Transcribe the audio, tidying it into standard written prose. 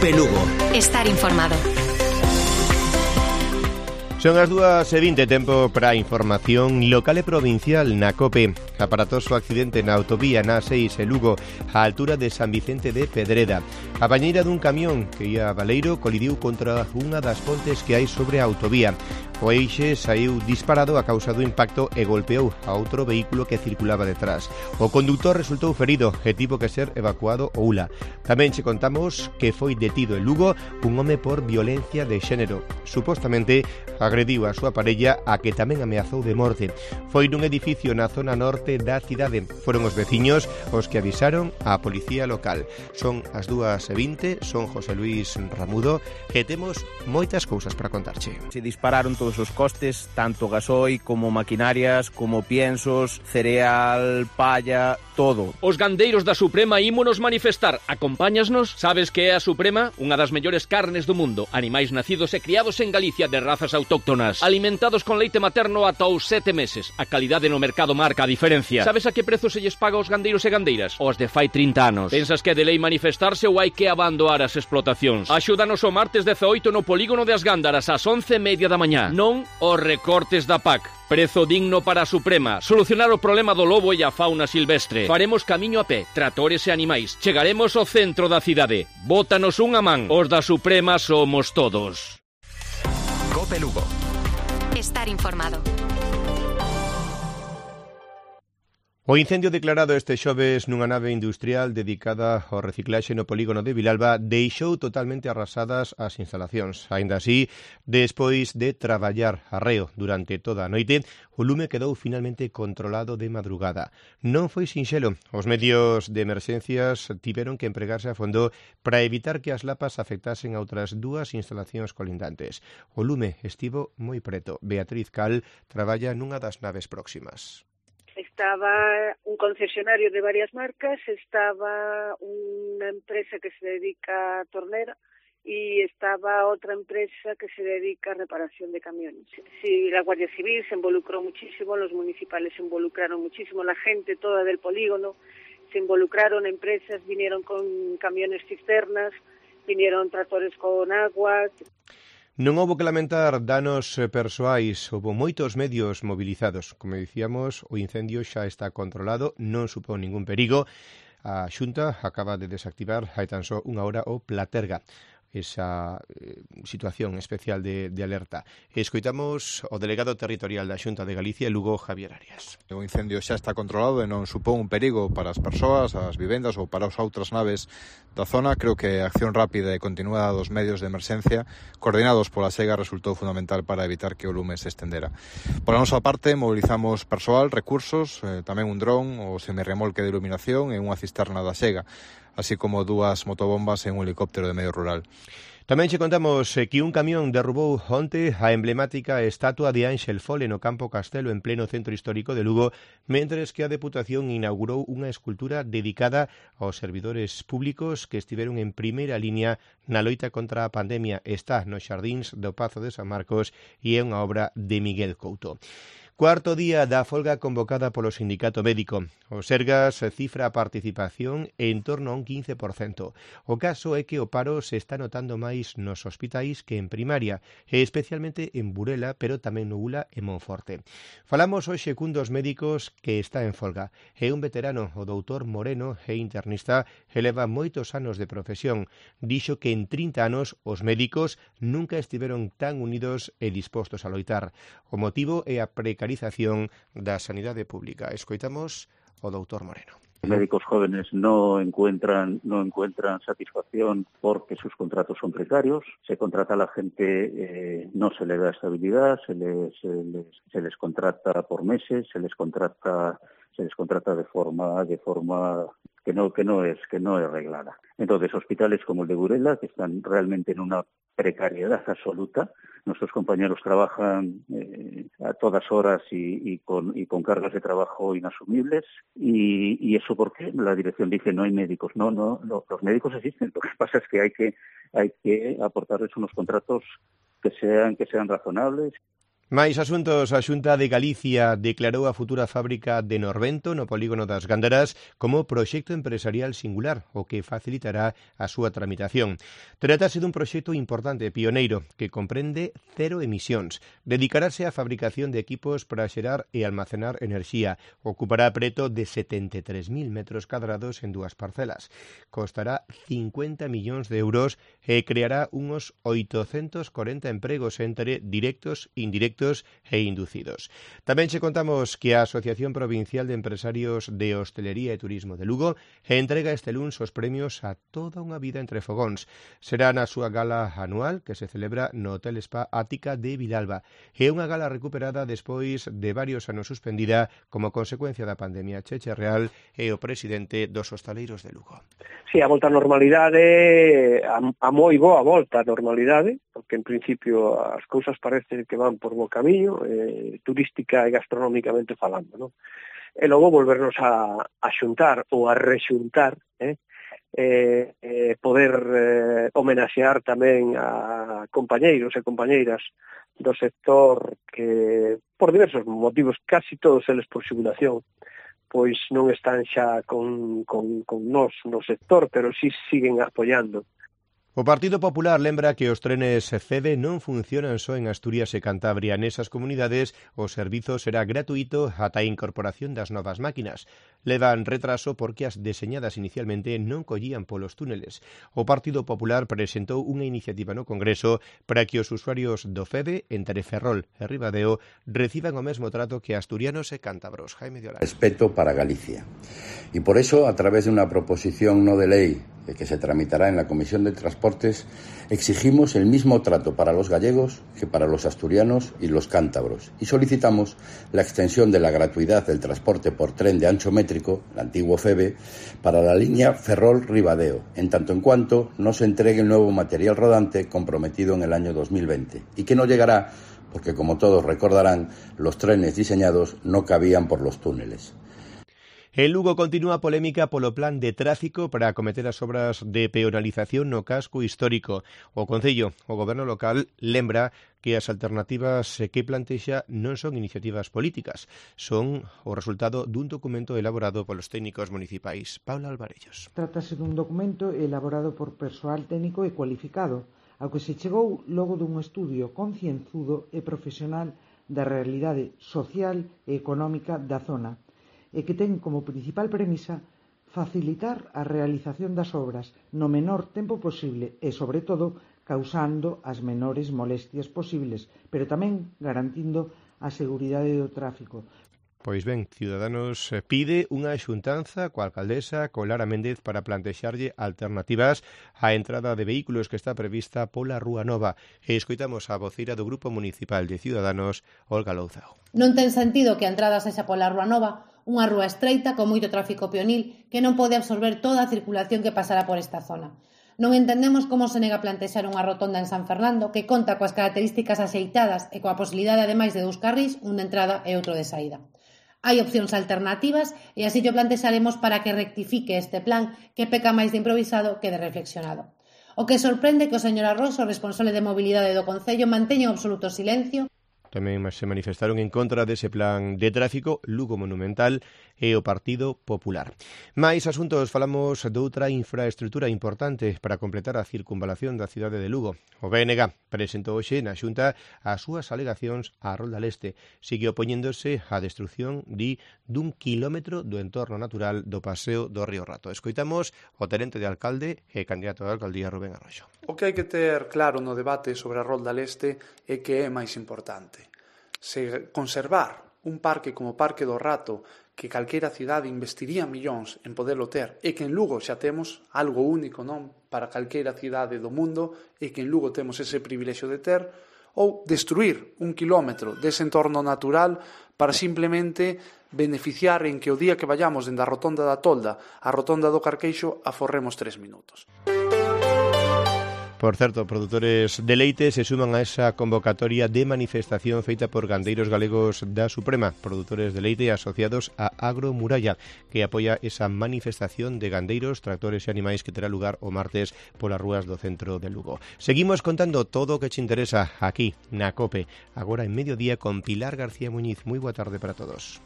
Cope Lugo. Estar informado. Son as 2:20, tempo para a información local e provincial na COPE. Aparatoso accidente na autovía na 6 e Lugo, á altura de San Vicente de Pedreda. A bañeira dun camión que ia a Baleiro colidiu contra unha das pontes que hai sobre a autovía. O eixe saiu disparado a causa do impacto e golpeou a outro vehículo que circulaba detrás. O conductor resultou ferido e tivo que ser evacuado ao ULA. Tamén che contamos que foi detido en Lugo un home por violencia de xénero. Supostamente agrediu a súa parella, a que tamén ameazou de morte. Foi nun edificio na zona norte da cidade. Foron os veciños os que avisaron á policía local. Son as 2:20, son José Luis Ramudo e temos moitas cousas para contarche. Se dispararon todos os costes, tanto gasoi como maquinarias, como piensos, cereal, palla, todo. Os gandeiros da Suprema ímonos manifestar. Acompáñasnos? Sabes que é a Suprema? Unha das mellores carnes do mundo. Animais nacidos e criados en Galicia de razas autóctonas. Alimentados con leite materno ata os 7 meses. A calidade no mercado marca a diferencia. Sabes a que prezo se lles paga aos gandeiros e gandeiras? Os de fai 30 anos. Pensas que é de lei manifestarse ou hai que abandonar as explotacións? Axúdanos o martes 18 no polígono de As Gándaras ás 11:30 da mañá. Non os recortes da PAC. Prezo digno para a Suprema. Solucionar o problema do lobo e a fauna silvestre. Faremos camiño a pé, tratores e animais. Chegaremos ao centro da cidade. Bótanos unha man. Os da Suprema somos todos. Cope Lugo. Estar informado. O incendio declarado este xoves nunha nave industrial dedicada ao reciclaxe no polígono de Vilalba deixou totalmente arrasadas as instalacións. Aínda así, despois de traballar arreo durante toda a noite, o lume quedou finalmente controlado de madrugada. Non foi sinxelo. Os medios de emerxencias tiveron que empregarse a fondo para evitar que as lapas afectasen a outras 2 instalacións colindantes. O lume estivo moi preto. Beatriz Cal traballa nunha das naves próximas. Estaba un concesionario de varias marcas, estaba una empresa que se dedica a tornera y estaba otra empresa que se dedica a reparación de camiones. Sí, la Guardia Civil se involucró muchísimo, los municipales se involucraron muchísimo, la gente toda del polígono se involucraron, empresas vinieron con camiones cisternas, vinieron tractores con agua. Non houbo que lamentar danos persoais, houbo moitos medios movilizados. Como dicíamos, o incendio xa está controlado, non supón ningún perigo. A Xunta acaba de desactivar hai tan só unha hora o Platerga, esa situación especial de alerta. Escoitamos o delegado territorial da Xunta de Galicia, Lugo, Javier Arias. O incendio xa está controlado e non supón un perigo para as persoas, as vivendas ou para as outras naves da zona. Creo que a acción rápida e continuada dos medios de emerxencia coordinados pola SEGA resultou fundamental para evitar que o lume se estendera. Por a nosa parte, mobilizamos persoal, recursos, tamén un dron, o semirremolque de iluminación e unha cisterna da SEGA, así como 2 motobombas e un helicóptero de medio rural. Tamén che contamos que un camión derrubou onte a emblemática estatua de Ángel Fole no Campo Castelo en pleno centro histórico de Lugo, mentres que a Deputación inaugurou unha escultura dedicada aos servidores públicos que estiveron en primeira liña na loita contra a pandemia. Está nos xardíns do Pazo de San Marcos e é unha obra de Miguel Couto. Cuarto día da folga convocada polo Sindicato Médico. O Sergas cifra a participación en torno a un 15%. O caso é que o paro se está notando máis nos hospitais que en primaria, e especialmente en Burela, pero tamén no ULA e Monforte. Falamos hoxe cun dos médicos que está en folga. É un veterano, o doutor Moreno, é internista e leva moitos anos de profesión. Dixo que en 30 anos os médicos nunca estiveron tan unidos e dispostos a loitar. O motivo é a precarización da sanidade pública. Escoitamos o doutor Moreno. Los médicos jóvenes no encuentran satisfacción porque sus contratos son precarios, se contrata a la gente, no se le da estabilidad, se les contrata por meses, se les contrata de forma que no es reglada. Entonces, hospitales como el de Burela, que están realmente en una precariedad absoluta. Nuestros compañeros trabajan a todas horas y con cargas de trabajo inasumibles. Y eso porque la dirección dice no hay médicos. No, los médicos existen. Lo que pasa es que hay que aportarles unos contratos que sean razonables. Máis asuntos, a Xunta de Galicia declarou a futura fábrica de Norvento no polígono das Gándaras como proxecto empresarial singular, o que facilitará a súa tramitación. Trátase dun proxecto importante, pioneiro, que comprende 0 emisións. Dedicarase á fabricación de equipos para xerar e almacenar enerxía. Ocupará preto de 73.000 metros cadrados en 2 parcelas. Costará 50 millóns de euros e creará uns 840 empregos entre directos, indirectos e inducidos. Tamén che contamos que a Asociación Provincial de Empresarios de Hostelería e Turismo de Lugo entrega este luns os premios a toda unha vida entre fogóns. Será na súa gala anual que se celebra no Hotel Spa Ática de Vilalba. É unha gala recuperada despois de varios anos suspendida como consecuencia da pandemia. Cheche Real é o presidente dos hostaleiros de Lugo. Sí, a volta á normalidade, a moi boa volta á normalidade, porque en principio as cousas parece que van por bo camiño, turística e gastronómicamente falando, non? E logo volvernos a xuntar ou a rexuntar, poder homenaxear tamén a compañeiros e compañeiras do sector que, por diversos motivos, casi todos eles por xubilación, pois non están xa con nós no sector, pero sí siguen apoiando. O Partido Popular lembra que os trenes CEDE non funcionan só en Asturias e Cantabria. Nesas comunidades o servizo será gratuito ata a incorporación das novas máquinas. Levan retraso porque as deseñadas inicialmente non collían polos túneles. O Partido Popular presentou unha iniciativa no Congreso para que os usuarios do FEDE entre Ferrol e Ribadeo reciban o mesmo trato que asturianos e cántabros. Jaime de Olán. Respeto para Galicia. Y por eso, a través de una proposición no de ley que se tramitará en la Comisión de Transportes, exigimos el mismo trato para los gallegos que para los asturianos y los cántabros y solicitamos la extensión de la gratuidad del transporte por tren de ancho métrico, el antiguo FEBE, para la línea Ferrol-Ribadeo, en tanto en cuanto no se entregue el nuevo material rodante comprometido en el año 2020 y que no llegará porque, como todos recordarán, los trenes diseñados no cabían por los túneles. En Lugo continúa a polémica polo plan de tráfico para acometer as obras de peonalización no casco histórico. O Concello, o Goberno local, lembra que as alternativas que plantexa non son iniciativas políticas, son o resultado dun documento elaborado polos técnicos municipais. Paula Alvarellos. Trátase dun documento elaborado por persoal técnico e cualificado, ao que se chegou logo dun estudio concienzudo e profesional da realidade social e económica da zona, e que ten como principal premisa facilitar a realización das obras no menor tempo posible e, sobre todo, causando as menores molestias posibles, pero tamén garantindo a seguridade do tráfico. Pois ben, Ciudadanos pide unha xuntanza coa alcaldesa, con Lara Méndez, para plantexarlle alternativas á entrada de vehículos que está prevista pola Rúa Nova. E escoitamos a voceira do Grupo Municipal de Ciudadanos, Olga Louzao. Non ten sentido que a entrada sexa pola Rúa Nova, unha rúa estreita con moito tráfico peonil que non pode absorber toda a circulación que pasará por esta zona. Non entendemos como se nega a plantexar unha rotonda en San Fernando que conta coas características axeitadas e coa posibilidade, ademais de 2 carrís, un de entrada e outro de saída. Hai opcións alternativas e así o plantexaremos para que rectifique este plan que peca máis de improvisado que de reflexionado. O que sorprende que o señor Arroso, responsable de mobilidade do Concello, manteña un absoluto silencio. Tamén se manifestaron en contra dese plan de tráfico Lugo Monumental e o Partido Popular. Mais asuntos, falamos doutra infraestrutura importante para completar a circunvalación da cidade de Lugo. O BNG presentou hoxe na Xunta as súas alegacións á Rolda Leste. Sigue opoñéndose á destrucción dun quilómetro do entorno natural do Paseo do Río Rato. Escoitamos o tenente de alcalde e candidato a alcaldía Rubén Arroxo. O que hai que ter claro no debate sobre a Rolda Leste é que é máis importante. Se conservar un parque como o Parque do Rato, que calquera cidade investiría millóns en poderlo ter, e que en Lugo xa temos algo único, non, para calquera cidade do mundo, e que en Lugo temos ese privilexio de ter, ou destruir un quilómetro dese entorno natural para simplemente beneficiar en que o día que vayamos dende a Rotonda da Tolda á Rotonda do Carqueixo aforremos 3 minutos. Por certo, produtores de leite se suman a esa convocatoria de manifestación feita por gandeiros galegos da Suprema, produtores de leite asociados a Agromuralla, que apoia esa manifestación de gandeiros, tractores e animais que terá lugar o martes polas rúas do centro de Lugo. Seguimos contando todo o que te interesa aquí, na COPE, agora en mediodía con Pilar García Muñiz. Moi boa tarde para todos.